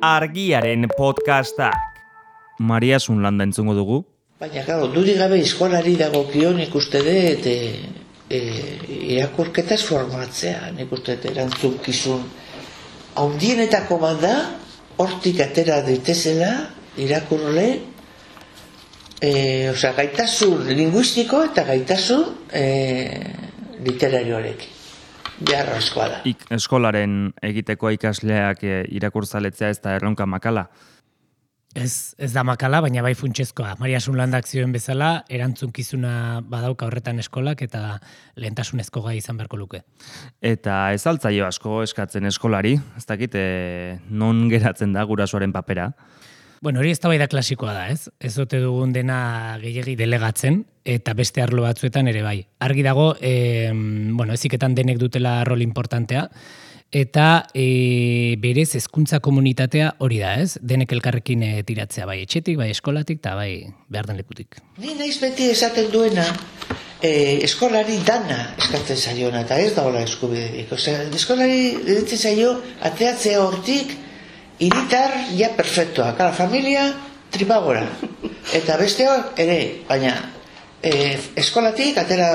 Argiaren podcastak. Maria Sunlanda entzungo dugu. Baina, gero, dudik gabe eskolari dagokion ikuste dut irakurketaz formatzea, nik uste dut erantzunkizun haundienetako bat da, hortik atera daitezela irakurle, gaitasun linguistiko eta gaitasun literarioarekin. Beharra askoa da. Eskolaren egiteko ikasleak irakurtzaletzea ez da erronka makala. Ez da makala, baina bai funtsezkoa. Maria Sunlandak zioen bezala, erantzunkizuna badauka horretan eskolak eta lehentasunezko gai izan beharko luke. Eta ez altzaio asko eskatzen eskolari, ez dakit non geratzen da gurasoaren papera. Bueno, hori eztabaida klasikoa da, ez? Ez ote dugun dena gehiegi delegatzen, eta beste arlo batzuetan ere bai. Argi dago, heziketan denek dutela rol importantea, eta berez hezkuntza komunitatea hori da, ez? Denek elkarrekin tiratzea, bai etxetik, bai eskolatik, eta bai behar den lekutik. Ni naiz beti esaten duena, eskolari dana eskatzen zaiona, eta ez da hola eskubiderik. Eskolari ditzen zaio, ateatzea hortik, iritar, ja perfectoa, kala familia, tripagora. Eta besteak ere, baina eskolatik atera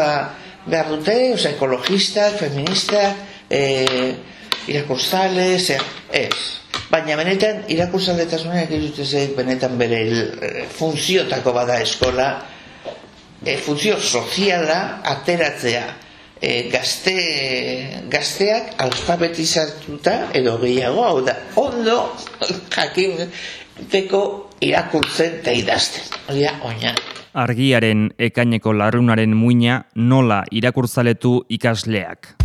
behar dute, ekologistak, feministak, irakurtzales, ez. Baina benetan irakurtzaletasunak ez benetan bere funtziotako bada eskola, funtzio soziala ateratzea. Gazteak alfabetizatuta edo gehiago, hau da, ondo jakinteko irakurtzen eta idazten. Hori da, oina. Argiaren ekaineko larrunaren muina nola irakurtzaletu ikasleak.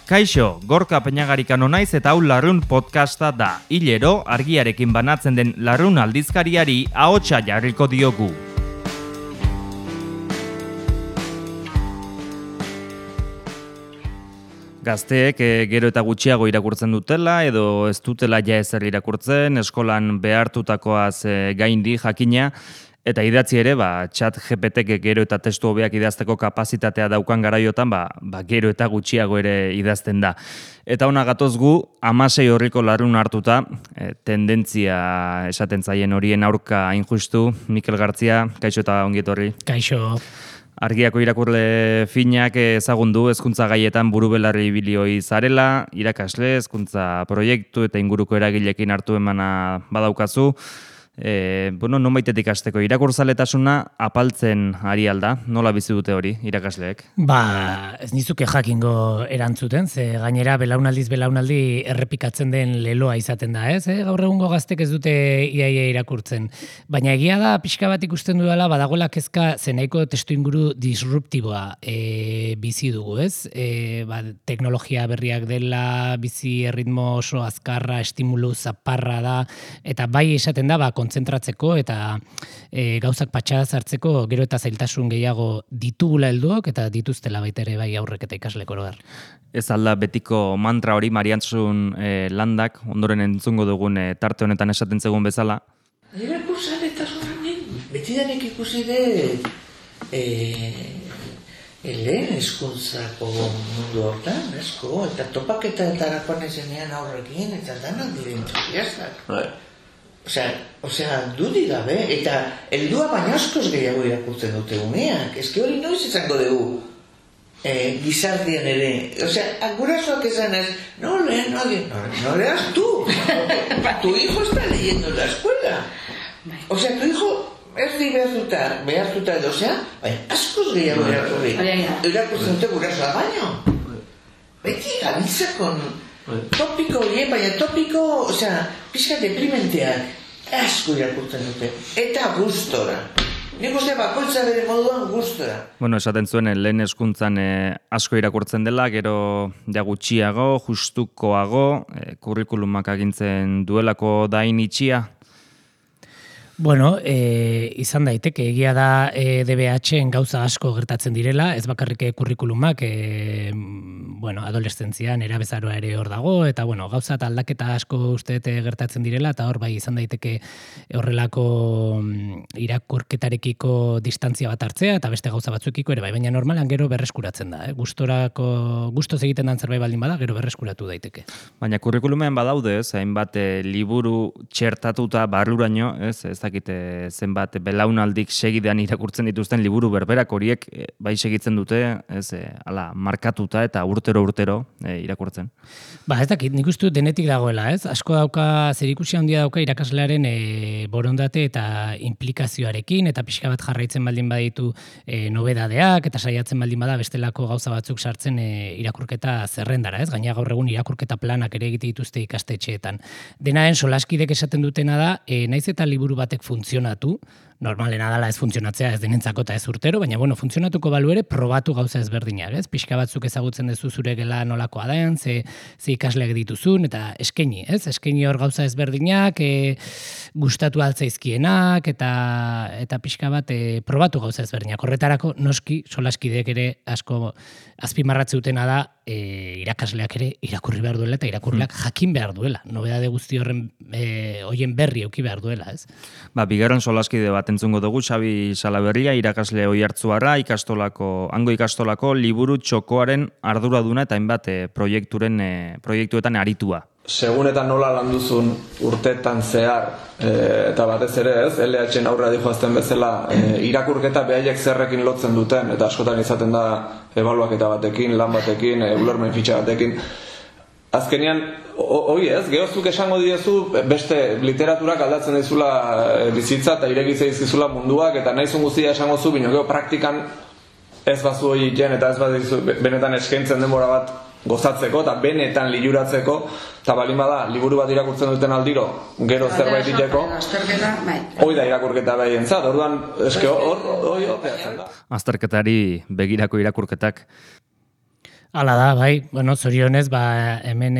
Kaixo, Gorka Peñagarikano naiz eta hau Larrun podcasta da. Hilero, argiarekin banatzen den Larrun aldizkariari ahotsa jarriko diogu. Gazteek gero eta gutxiago irakurtzen dutela edo ez dutela ja ezer irakurtzen, eskolan behartutakoaz gaindi jakina, eta idatzi ere, chat GPT-ek gero eta testu hobeak idazteko kapazitatea daukan garaiotan, gero eta gutxiago ere idazten da. Eta ona gatoz gu, 16 horriko larrun hartuta, tendentzia esaten zaien horien aurka injustu, Mikel Gartzia, kaixo eta ongi etorri. Kaixo. Argiako irakurle finak ezagundu hezkuntza gaietan burubelarri ibilioi zarela, irakasle, hezkuntza proiektu eta inguruko eragilekin hartu emana badaukazu. Nonbaitetik hasteko irakurzaletasuna apaltzen ari alda, nola bizi dute hori irakasleek? Ez nizuke jakingo erantzuten, ze gainera belaunaldi errepikatzen den leloa izaten da, ez? Gaur egungo gaztek ez dute iaia irakurtzen. Baina egia da, pixka bat ikusten dudala, badagoela kezka zenaiko testu inguru disruptiboa bizi dugu, ez? Teknologia berriak dela, bizi erritmo oso azkarra, estimulu zaparra da, eta bai esaten da, kontzentratzeko eta gauzak patxadaz hartzeko gero eta zailtasun gehiago ditugula helduok eta dituztela baita ere bai aurrek eta ikaslek oroar. Ez alda betiko mantra hori Mariantzun Landak, ondoren entzungo dugun tarte honetan esaten zegoen bezala. Irakurtzaletasunen betidanik ikusi dut lehen hezkuntzako mundu hortan, esko, eta topaketaetarakoan ezenean aurrekin, eta danak dire entusiastak. Osea, dudik gabe, eta heldua baina askoz gehiago irakurtzen dute umeak. Ez hori noiz izango dugu gizartean ere. Osea, gurasoak esan ez, no leas tú. Tu hijo está leyendo en la escuela. Osea, tu hijo ez di behartuta edo, osea, baina askoz gehiago irakurtzen dute gurasoa baino. Beti gabitzakon topiko horiek, baina topiko, osea, pixka deprimenteak asko irakurtzen dute, eta gustora. Nik uste bakoitza bere moduan gustora. Esaten zuen, lehen hezkuntzan asko irakurtzen dela, gero gutxiago, justukoago, kurrikulumak agintzen duelako dain itxia? Bueno, izan daiteke, egia da DBH-en gauza asko gertatzen direla, ez bakarrik kurrikulumak, adolescentzian erabezaroa ere hor dago, eta gauza eta aldaketa asko uste gertatzen direla, eta hor bai izan daiteke horrelako irakurketarekiko distantzia bat hartzea, eta beste gauza batzuekiko ere bai, baina normalan gero berreskuratzen da, gustoz egiten dan zerbait baldin bada, gero berreskuratu daiteke. Baina kurrikulumean badaude, hainbat liburu txertatuta barruraino, ez dakite zenbat belaunaldik segidean irakurtzen dituzten liburu berberak horiek bai segitzen dute, hala markatuta eta urtero irakurtzen. Ez dakit, nik uste denetik dagoela, ez? Asko dauka, zerikusia handia dauka irakaslearen borondate eta implikazioarekin, eta pixka bat jarraitzen baldin baditu nobedadeak, eta saiatzen baldin bada bestelako gauza batzuk sartzen irakurketa zerrendara, ez? Gaina gaur egun irakurketa planak ere egite dituzte ikastetxeetan. Denaen solaskidek esaten dutena da, naiz eta liburu batek funtzionatu, normalena dala ez funtzionatzea ez denentzako eta ez urtero, baina funtzionatuko balu ere probatu gauza ezberdinak, ez? Pixka batzuk ezagutzen duzu zure gela nolakoa den, ze ikasleak dituzun, eta eskaini, ez? Eskaini hor gauza ezberdinak, gustatu altzaizkienak, eta pixka bat probatu gauza ezberdinak. Horretarako noski solaskideek ere asko azpimarratze dutena da irakasleak ere irakurri behar duela eta irakurleak jakin behar duela. Nobedade guzti horien berri eduki behar duela, ez? Bigarren solaskide bat entzungo dugu, Xabi Salaberria, irakasle Oiartzuarra, hango ikastolako liburu txokoaren arduraduna eta hainbat proiektuetan aritua. Segun eta nola landuzun urteetan zehar, eta batez ere ez, LH-en aurrera dijoazten bezala, irakurketa behaiek zerrekin lotzen duten, eta askotan izaten da ebaluaketa batekin, lan batekin, ulermen fitxa batekin. Azkenean, hoi ez, gehozuk esango diezu, beste literaturak aldatzen dizula bizitza eta iregitzea izkizula munduak, eta nahizun guztia esango zu, bino geho praktikan ez bazu hori jen, eta ez bazu benetan eskaintzen denbora bat gozatzeko, eta benetan liluratzeko, eta balin bada, liburu bat irakurtzen duten aldiro, gero zerbait iteko, hoi da irakurketa behientzat, orduan, eske hori horreatzen da. Azterketari begirako irakurketak. Hala da, bai, zorionez, hemen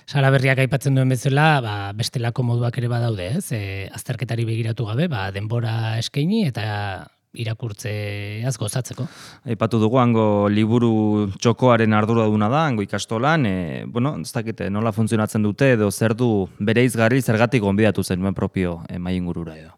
Salaberriak aipatzen duen bezala, bestelako moduak ere badaude, ez? Azterketari begiratu gabe, denbora eskaini eta irakurtzeaz gozatzeko. Aipatu dugu, hango liburu txokoaren arduraduna da, hango ikastolan, ez dakite nola funtzionatzen dute edo zer du bere izgarri zergatik gonbidatu zenuen propio maingurura edo.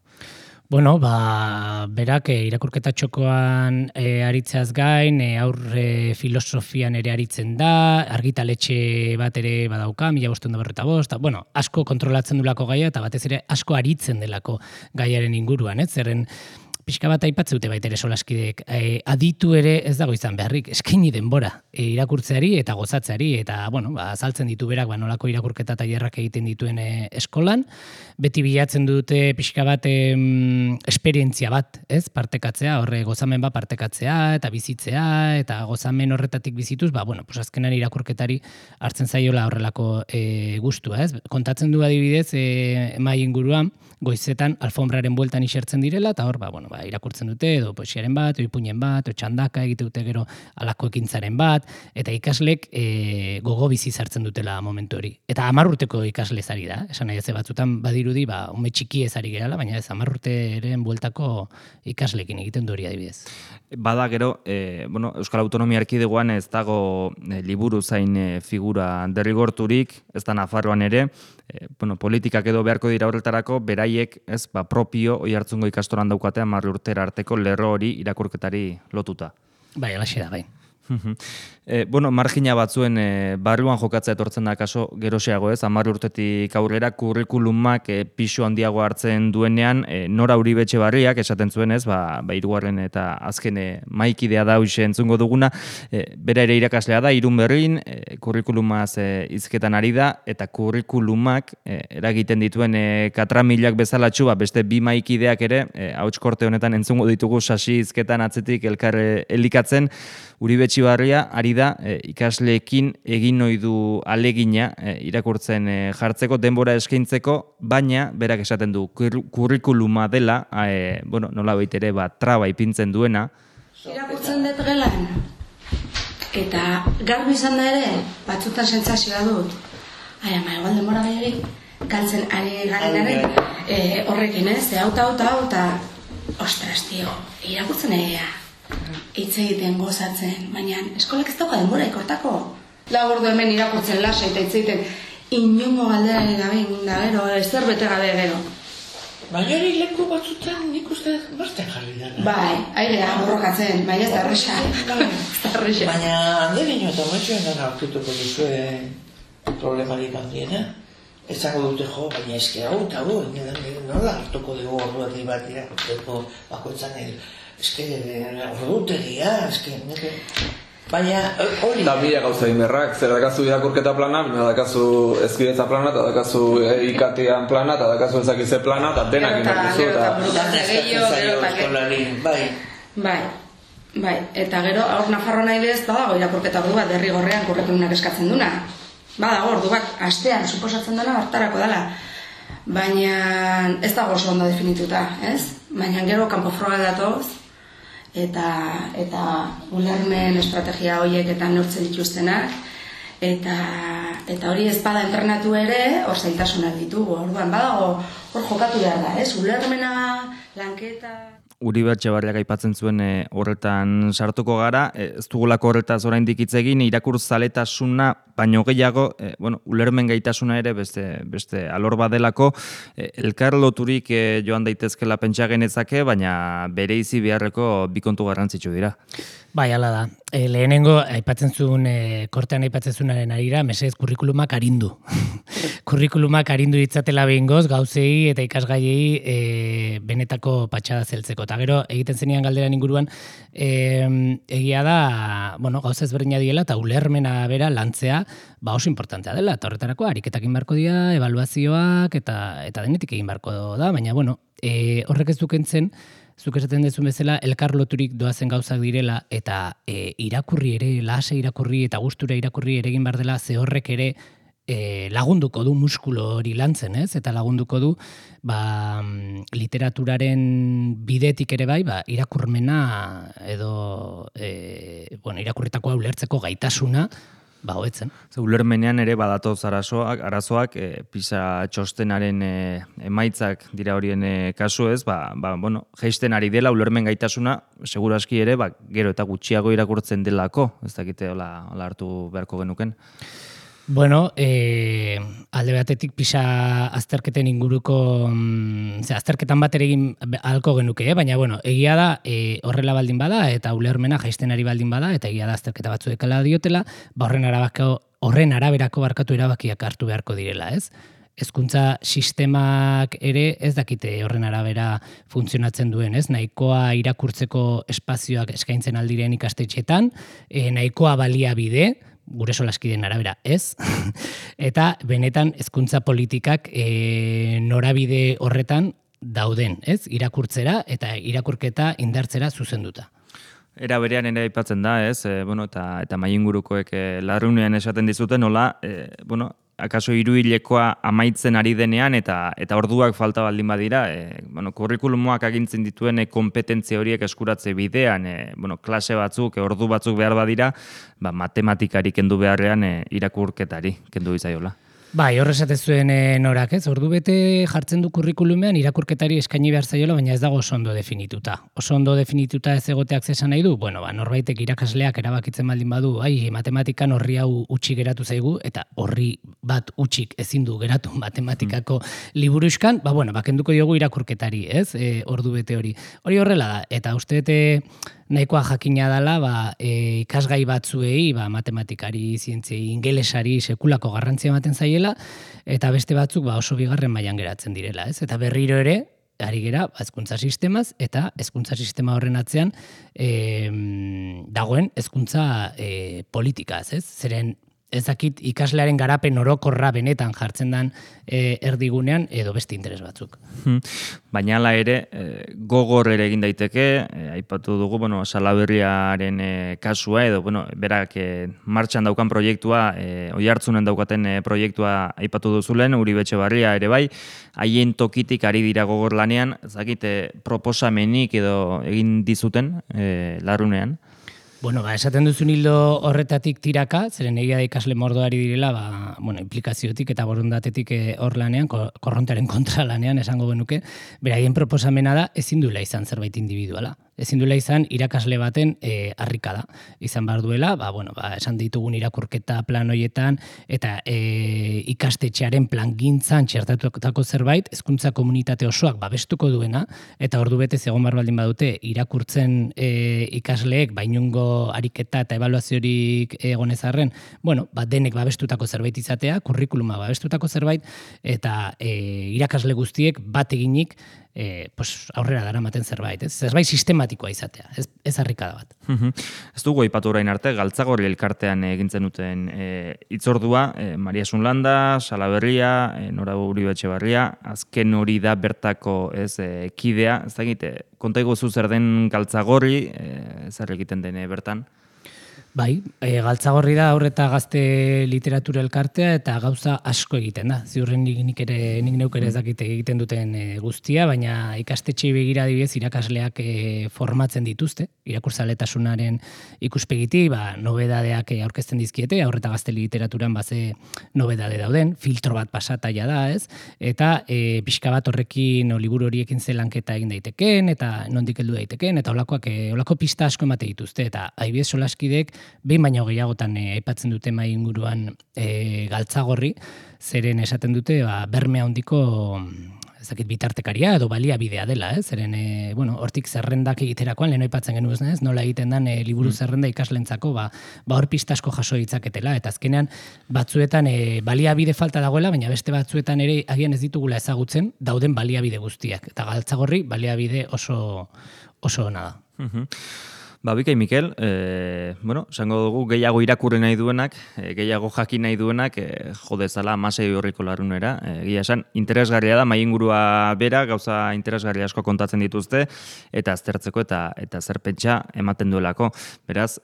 Berak irakurketa txokoan aritzeaz gain, aurre filosofian ere aritzen da, argitaletxe bat ere badauka, 1545, asko kontrolatzen dulako gaia eta batez ere asko aritzen delako gaiaren inguruan, ez? Zerren pixka bat aipatze dute baita ere solaskideek, aditu ere ez dago izan beharrik, eskaini denbora irakurtzeari eta gozatzeari, eta azaltzen ditu berak nolako irakurketa tailerrak egiten dituen eskolan, beti bilatzen dute pixka bat esperientzia bat, ez, partekatzea, horre gozamen bat partekatzea, eta bizitzea, eta gozamen horretatik bizituz, azkenan irakurketari hartzen zaiola horrelako gustua, ez, kontatzen du adibidez emai inguruan, goizetan alfombraren bueltan isertzen direla, eta hor, irakurtzen dute, edo poesiaren bat, edo ipuinen bat, edo txandaka egite dute gero alako ekintzaren bat, eta ikaslek gogo bizi zartzen dutela momentu hori. Eta 10 urteko ikasle zari da, esan nahi ez batzuten badirudi, ume txiki ezari gerala, baina ez 10 urteren bueltako ikaslekin egiten du hori adibidez. Bada gero, Euskal Autonomia Erkidegoan ez dago liburu zain figura derrigorturik, ez da Nafarroan ere, politikak edo beharko dira horretarako, beraiek propio Oiartzungo ikastolan daukatea 10 urtera arteko lerro hori irakurketari lotuta. Bai, alaxe da, bai. Margina batzuen barruan jokatzea etortzen da kaso geroxeago, ez? 10 urtetik aurrera kurrikulumak pisu handiago hartzen duenean, Nora Uribe-Etxebarriak esaten zuen, ez? Hirugarren eta azken maikidea da hoxe entzungo duguna, bera ere irakaslea da, Irun Berrin, kurrikulumaz hizketan ari da, eta kurrikulumak eragiten dituen katramilak bezalatxu, beste bi maikideak ere, ahotskorte honetan entzungo ditugu sasi hizketan atzetik elkar elikatzen, Uribe-Etxebarria ari da ikasleekin egin ohi du alegina irakurtzen jartzeko, denbora eskaintzeko, baina berak esaten du kurrikuluma dela, nolabait ere traba ipintzen duena. Irakurtzen dut gelan, eta garbi izan da ere, batzutan sentsazioa dut. Igual denbora gehiagik, galtzen ari garenaren, horrekin, hau eta, ostras, tio, irakurtzen egia. Hitz egiten gozatzen, baina eskolak ez dauka denbora ikortako. 4 ordu hemen irakurtzen lasa eta hitz egiten inongo galderari gabe da gero, ezer bete gabe gero. Baina hori leku batzutan nik uste beste jarri dara. Bai, airea borrokatzen, baina ez da erresa. Baina handelino eta matxoen gana aurkituko duzue problemarik handiena. Ezango dute baina eske hau eta hau, nola hartuko dugu orduati bat irakurteko bakoitzan eske ordutegia, baina hori... Da mila gauza inberrak, zer dakazu irakurketa plana, bina dakazu ezkidetza plana, eta dakazu ikatian plana, eta dakazu ezakize plana, eta denak inbertuzu, Bai, eta gero, hor Nafarroa nahi bez, badago irakurketa ordu bat derrigorrean kurrikulumak eskatzen duna. Badago ordu bat, astean, suposatzen dela, hartarako dela. Baina ez dago oso ondo definituta, ez? Baina gero kanpo froga datoz, eta ulermen estrategia horiek eta neurtzen dituztenak, eta hori ez bada entrenatu ere, hor zailtasunak ditugu, orduan badago hor jokatu behar da, ez? Ulermena, lanketa... Uribe Etxebarriak aipatzen zuen horretan sartuko gara, ez dugulako horretaz oraindik hitz egin, irakurzaletasuna baino gehiago, ulermen gaitasuna ere beste alor badelako, elkar loturik joan daitezkela pentsa genezake, baina bereizi beharreko bi kontu garrantzitsu dira. Bai, hala da. Lehenengo, aipatzen zuen, kortean aipatzen zuenaren arira, mesedez kurrikulumak arindu. Kurrikulumak arindu ditzatela behingoz, gauzei eta ikasgaiei benetako patxada zeltzeko. Eta gero, egiten zenian galderan inguruan, egia da, gauza ezberdina diela, eta ulermena bera lantzea, oso importantea dela. Eta horretarako, ariketak egin barko dira, ebaluazioak, eta denetik egin barko da, baina, horrek ez dukentzen, zuk esaten dezun bezala, elkar loturik doazen gauzak direla, eta irakurri ere, lase irakurri eta gustura irakurri ere egin behar dela, ze horrek ere lagunduko du muskulo hori lantzen, ez? Eta lagunduko du literaturaren bidetik ere bai, irakurmena edo irakurritakoa ulertzeko gaitasuna, hobetzen. Ulermenean ere badatoz arazoak, PISA txostenaren emaitzak dira horien kasu ez, jaisten ari dela ulermen gaitasuna, seguraski ere, gero eta gutxiago irakurtzen delako, ez dakite hola hartu beharko genuken. Alde batetik PISA azterketen inguruko, azterketan bat ere egin ahalko genuke, baina egia da horrela baldin bada eta ulermena jaisten ari baldin bada, eta egia da azterketa batzuekala diotela, horren araberako barkatu erabakiak hartu beharko direla, ez? Hezkuntza sistemak ere ez dakite horren arabera funtzionatzen duen, ez? Nahikoa irakurtzeko espazioak eskaintzen aldiren ikastetxetan, nahikoa baliabide, gure solaskideen arabera ez, eta benetan hezkuntza politikak norabide horretan dauden, ez? Irakurtzera eta irakurketa indartzera zuzenduta. Era berean ere aipatzen da, ez? Eta mahaingurukoek larrunean esaten dizuten, nola, akaso hiruhilekoa amaitzen ari denean eta orduak falta baldin badira, kurrikulumoak agintzen dituen kompetentzia horiek eskuratze bidean, klase batzuk, ordu batzuk behar badira, matematikari kendu beharrean irakurketari kendu izaiola. Bai, horre esatezuen norak, ez? Ordu bete jartzen du kurrikulumean irakurketari eskaini behar zaiola, baina ez dago oso ondo definituta. Oso ondo definituta ez egoteak zesan nahi du, norbaitek irakasleak erabakitzen baldin badu, matematikan horri hau utxik geratu zaigu, eta horri bat utxik ezin du geratu matematikako liburuzkan, kenduko diogu irakurketari, ez? Ordu bete hori. Hori horrela da, eta uste nahikoa jakina dela ikasgai batzuei, matematikari, zientziei, ingelesari sekulako garrantzia ematen zaiela, eta beste batzuk oso bigarren mailan geratzen direla, ez? Eta berriro ere, ari gera, hezkuntza sistemaz, eta hezkuntza sistema horren atzean dagoen hezkuntza politikaz, ez? Zeren ez dakit ikaslearen garapen orokorra benetan jartzen den erdigunean edo beste interes batzuk. Baina hala ere, gogor ere egin daiteke, aipatu dugu, Salaberriaren kasua edo, berak martxan daukan proiektua, oihartzunen daukaten proiektua aipatu duzulen, Uribe Etxebarria ere bai, haien tokitik ari dira gogor lanean, ez dakit proposamenik edo egin dizuten larrunean. Esaten duzun hildo horretatik tiraka, zeren egia da ikasle mordoari direla, implikaziotik eta borondatetik hor lanean, korrontaren kontra lanean esango genuke, beraien proposamena da ezin duela izan zerbait individuala. Ezin duela izan irakasle baten harrikada. Izan behar duela, esan ditugun irakurketa plan hoietan, eta ikastetxearen plangintzan txertatutako zerbait, hezkuntza komunitate osoak babestuko duena, eta ordu betez egon behar baldin badute irakurtzen ikasleek bainungo ariketa eta ebaluaziorik egonezarren, denek babestutako zerbait izatea, kurrikuluma babestutako zerbait, eta irakasle guztiek bat eginik aurrera daramaten zerbait, ez? Zerbait sistematikoa izatea, ez harrikada bat. Ez dugu aipatu orain arte, Galtzagorri elkartean egintzen duten hitzordua, Maria Sunlanda, Salaberria, Nora Uribe Etxebarria, azken hori da bertako kidea, ez dakit, konta iguzu zer den Galtzagorri, zer egiten den bertan? Bai, Galtzagorri da Haur eta Gazte Literatura Elkartea eta gauza asko egiten da. Ziurren nik neuk ere ez dakite egiten duten guztia, baina ikastetxei begira adibidez irakasleak formatzen dituzte, irakurtzaletasunaren ikuspegiti, nobedadeak aurkezten dizkiete, Haur eta Gazte Literaturan ze nobedade dauden, filtro bat pasataia da, ez? Eta pixka bat horrekin liburu horiekin zelanketa egin daiteken, eta nondik heldu daiteken, eta holako pista asko emate dituzte, eta adibidez solaskidek behin baino gehiagotan aipatzen dute mai inguruan Galtzagorri, zeren esaten dute berme handiko bitartekaria edo baliabidea dela, zeren hortik zerrendak egiterakoan lehen aipatzen genuen, ez? Nola egiten den liburu zerrenda ikaslentzako, hor pista asko jaso ditzaketela, eta azkenean batzuetan baliabide falta dagoela, baina beste batzuetan ere agian ez ditugula ezagutzen dauden baliabide guztiak, eta Galtzagorri baliabide oso ona da. Bikai Mikel, esango dugu gehiago irakurri nahi duenak, gehiago jakin nahi duenak, jodezala amasei horriko larunera. Egia esan, interesgarria da, maingurua bera, gauza interesgarria asko kontatzen dituzte, eta aztertzeko eta zer pentsa ematen duelako. Beraz,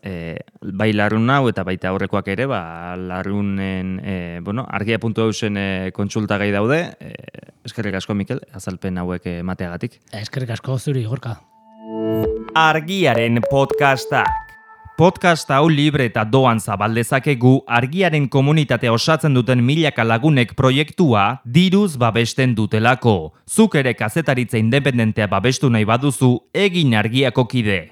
bai larun hau eta baita aurrekoak ere, larunen, argia.eusen kontsulta gai daude. Eskerrik asko, Mikel, azalpen hauek emateagatik. Eskerrik asko zuri, Gorka. Argiaren podcastak. Podcast hau libre eta doan zabaldezakegu Argiaren komunitatea osatzen duten milaka lagunek proiektua diruz babesten dutelako. Zuk ere kazetaritza independentea babestu nahi baduzu, egin Argiako kide.